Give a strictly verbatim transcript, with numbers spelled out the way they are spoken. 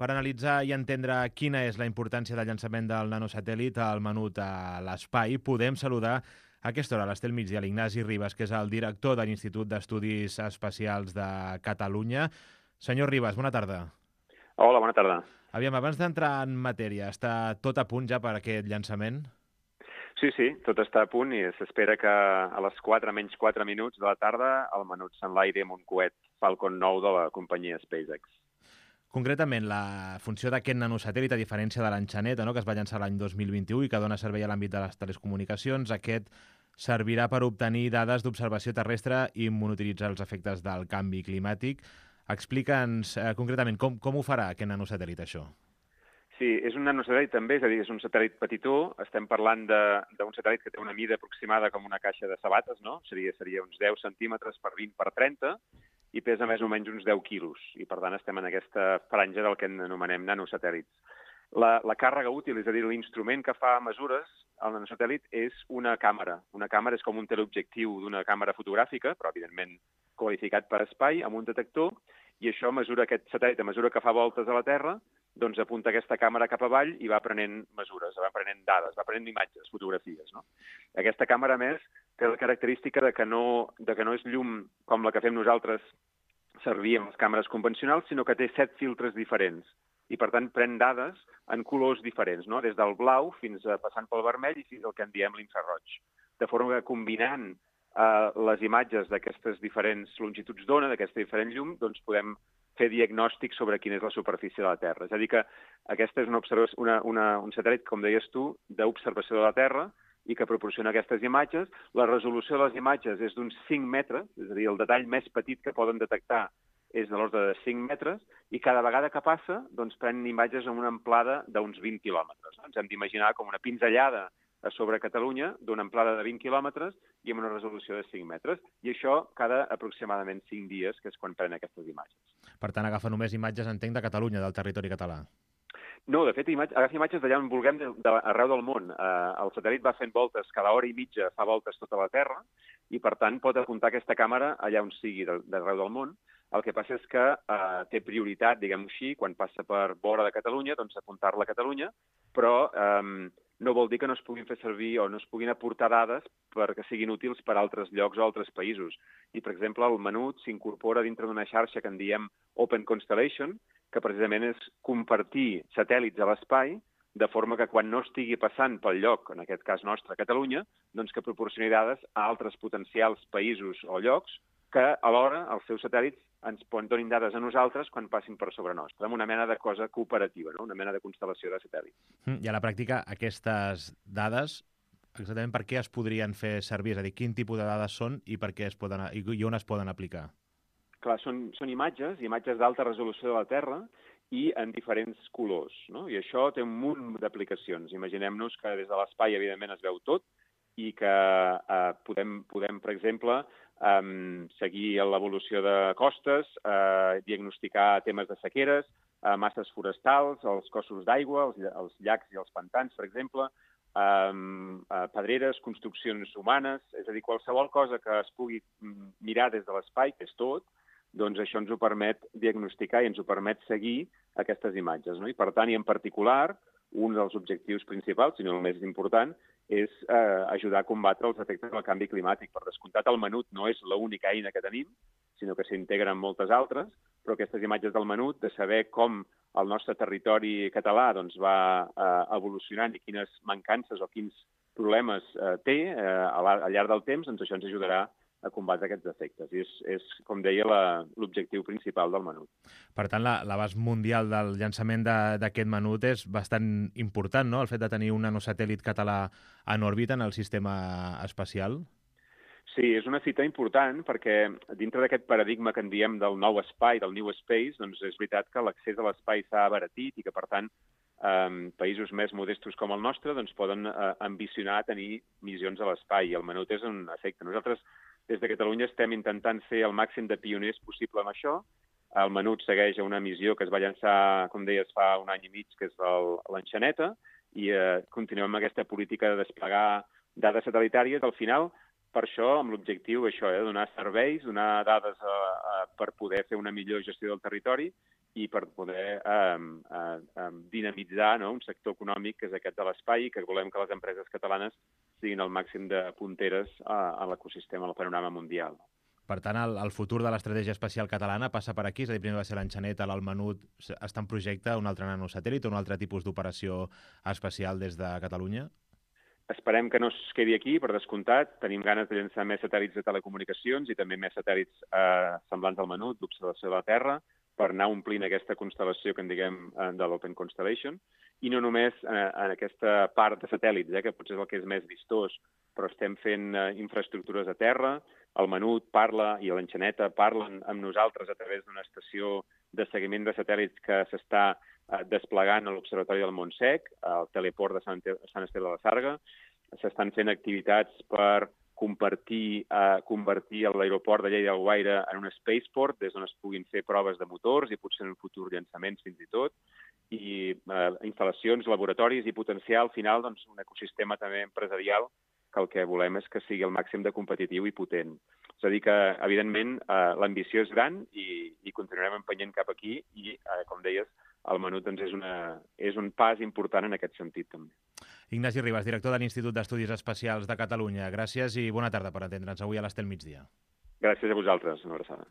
per analitzar i entendre quina és la importància del llançament del nanosatèl·lit al menut a l'espai, podem saludar a aquesta hora, a l'Estel Migdia, l'Ignasi Ribas, que és el director de l'Institut d'Estudis Espacials de Catalunya. Senyor Ribas, bona tarda. Hola, bona tarda. Aviam, abans d'entrar en matèria, està tot a punt ja per aquest llançament? Sí, sí, tot està a punt i s'espera que a les quatre menys quatre minuts de la tarda el menut s'enlairi amb un coet Falcon nou de la companyia SpaceX. Concretament, la funció d'aquest nanosatèl·lit, a diferència de l'Enxaneta, no?, que es va llançar l'any dos mil vint-i-u i que dona servei a l'àmbit de les telecomunicacions, aquest servirà per obtenir dades d'observació terrestre i monitoritzar els efectes del canvi climàtic. Explica'ns eh, concretament com, com ho farà aquest nanosatèl·lit, això. Sí, és un nanosatèl·lit també, és a dir, és un satèl·lit petitó. Estem parlant d'un satèl·lit que té una mida aproximada com una caixa de sabates, no? Seria, seria uns deu centímetres per vint per trenta i pesa més o menys uns deu quilos. I, per tant, estem en aquesta franja del que anomenem nanosatèl·lits. La, la càrrega útil, és a dir, l'instrument que fa mesures al nanosatèl·lit és una càmera. Una càmera és com un teleobjectiu d'una càmera fotogràfica, però, evidentment, qualificat per espai, amb un detector, i això mesura, aquest satèl·lit, a mesura que fa voltes a la Terra, doncs apunta aquesta càmera cap avall i va prenent mesures, va prenent dades, va prenent imatges, fotografies, no? Aquesta càmera, a més, té la característica de que no, de que no és llum com la que fem nosaltres servir amb les càmeres convencionals, sinó que té set filtres diferents i, per tant, pren dades en colors diferents, no? Des del blau fins a passant pel vermell i fins al que en diem l'infraroig. De forma que combinant eh, les imatges d'aquestes diferents longituds d'ona, d'aquesta diferent llum, doncs podem fer diagnòstic sobre quina és la superfície de la Terra. És a dir que aquesta és una, una, una, un satèl·lit, com deies tu, d'observació de la Terra i que proporciona aquestes imatges. La resolució de les imatges és d'uns cinc metres, és a dir, el detall més petit que poden detectar és de l'ordre de cinc metres, i cada vegada que passa, doncs, prenen imatges amb una amplada d'uns vint quilòmetres. Ens hem d'imaginar com una pinzellada a sobre Catalunya, d'una amplada de vint quilòmetres i amb una resolució de cinc metres. I això cada aproximadament cinc dies, que és quan prenen aquestes imatges. Per tant, agafa només imatges, entenc, de Catalunya, del territori català. No, de fet, imatge, agafa imatges d'allà on vulguem, de, de, arreu del món. Eh, el satèl·lit va fent voltes, cada hora i mitja fa voltes tota la Terra, i per tant pot apuntar aquesta càmera allà on sigui d'arreu del món. El que passa és que eh, té prioritat, diguem-ho així, quan passa per vora de Catalunya, doncs apuntar-la a Catalunya, però eh, no vol dir que no es puguin fer servir o no es puguin aportar dades perquè siguin útils per a altres llocs o altres països. I, per exemple, el menut s'incorpora dintre d'una xarxa que en diem Open Constellation, que precisament és compartir satèl·lits a l'espai, de forma que quan no estigui passant pel lloc, en aquest cas nostre, Catalunya, doncs que proporcioni dades a altres potencials països o llocs que alhora els seus satèl·lits ens donin dades a nosaltres quan passin per sobre nostre, amb una mena de cosa cooperativa, no? Una mena de constel·lació de satèl·lits. I a la pràctica, aquestes dades, exactament per què es podrien fer servir? És a dir, quin tipus de dades són i per què es poden, i on es poden aplicar? Clar, són, són imatges, imatges d'alta resolució de la Terra i en diferents colors, no? I això té un munt d'aplicacions. Imaginem-nos que des de l'espai, evidentment, es veu tot i que eh, podem, podem, per exemple, eh, seguir l'evolució de costes, eh, diagnosticar temes de sequeres, eh, masses forestals, els cossos d'aigua, els, els llacs i els pantans, per exemple, eh, eh, pedreres, construccions humanes, és a dir, qualsevol cosa que es pugui mirar des de l'espai, que és tot, doncs això ens ho permet diagnosticar i ens ho permet seguir aquestes imatges, no? I per tant, i en particular, un dels objectius principals, si no el més important, és eh, ajudar a combatre els efectes del canvi climàtic. Per descomptat, el menut no és l'única eina que tenim, sinó que s'integren moltes altres, però aquestes imatges del menut, de saber com el nostre territori català doncs, va eh, evolucionant i quines mancances o quins problemes eh, té eh, al llarg del temps, doncs això ens ajudarà a combatre aquests efectes. I és, és com deia, l'objectiu principal del menut. Per tant, l'abast mundial del llançament d'aquest menut és bastant important, no?, el fet de tenir un nanosatèl·lit català en òrbita en el sistema espacial. Sí, és una fita important perquè dintre d'aquest paradigma que en diem del nou espai, del new space, doncs és veritat que l'accés a l'espai s'ha abaratit i que, per tant, eh, països més modestos com el nostre doncs, poden eh, ambicionar tenir missions a l'espai. I el menut és un efecte. Nosaltres, des de Catalunya, estem intentant ser el màxim de pioners possible amb això. El menut segueix a una missió que es va llançar, com deies, fa un any i mig, que és l'Enxaneta, i eh, continuem amb aquesta política de desplegar dades satellitàries. Al final, per això, amb l'objectiu això, eh, donar serveis, donar dades eh, per poder fer una millor gestió del territori i per poder eh, eh, eh, dinamitzar, no?, un sector econòmic que és aquest de l'espai i que volem que les empreses catalanes siguin el màxim de punteres a, a l'ecosistema, al panorama mundial. Per tant, el, el futur de l'estratègia espacial catalana passa per aquí, és a dir, primer va ser l'Enxaneta, l'Almenut, està en projecte un altre nanosatèl·lit o un altre tipus d'operació espacial des de Catalunya? Esperem que no es quedi aquí, per descomptat. Tenim ganes de llançar més satèl·lits de telecomunicacions i també més satèl·lits eh, semblants al menut d'observació de la Terra per anar omplint aquesta constel·lació que en diguem eh, de l'Open Constellation. I no només eh, en aquesta part de satèl·lits, eh, que potser és el que és més vistós, però estem fent eh, infraestructures a terra. El menut parla i l'Enxaneta parlen amb nosaltres a través d'una estació de seguiment de satèl·lits que s'està desplegant a l'Observatori del Montsec, al teleport de Sant, Sant Esteve de la Sarga. S'estan fent activitats per compartir, eh, convertir l'aeroport de Lleida Alguaire en un spaceport, des d'on es puguin fer proves de motors i potser en un futur llançaments fins i tot, i eh, instal·lacions, laboratoris i potenciar al final doncs, un ecosistema també empresarial que el que volem és que sigui el màxim de competitiu i potent. És a dir que, evidentment, eh, l'ambició és gran i, i continuarem empenyent cap aquí i, eh, com deies, el menut doncs, és, una, és un pas important en aquest sentit també. Ignasi Ribas, director de l'Institut d'Estudis Espacials de Catalunya. Gràcies i bona tarda per atendre'ns avui a l'Estel Migdia. Gràcies a vosaltres. Una abraçada.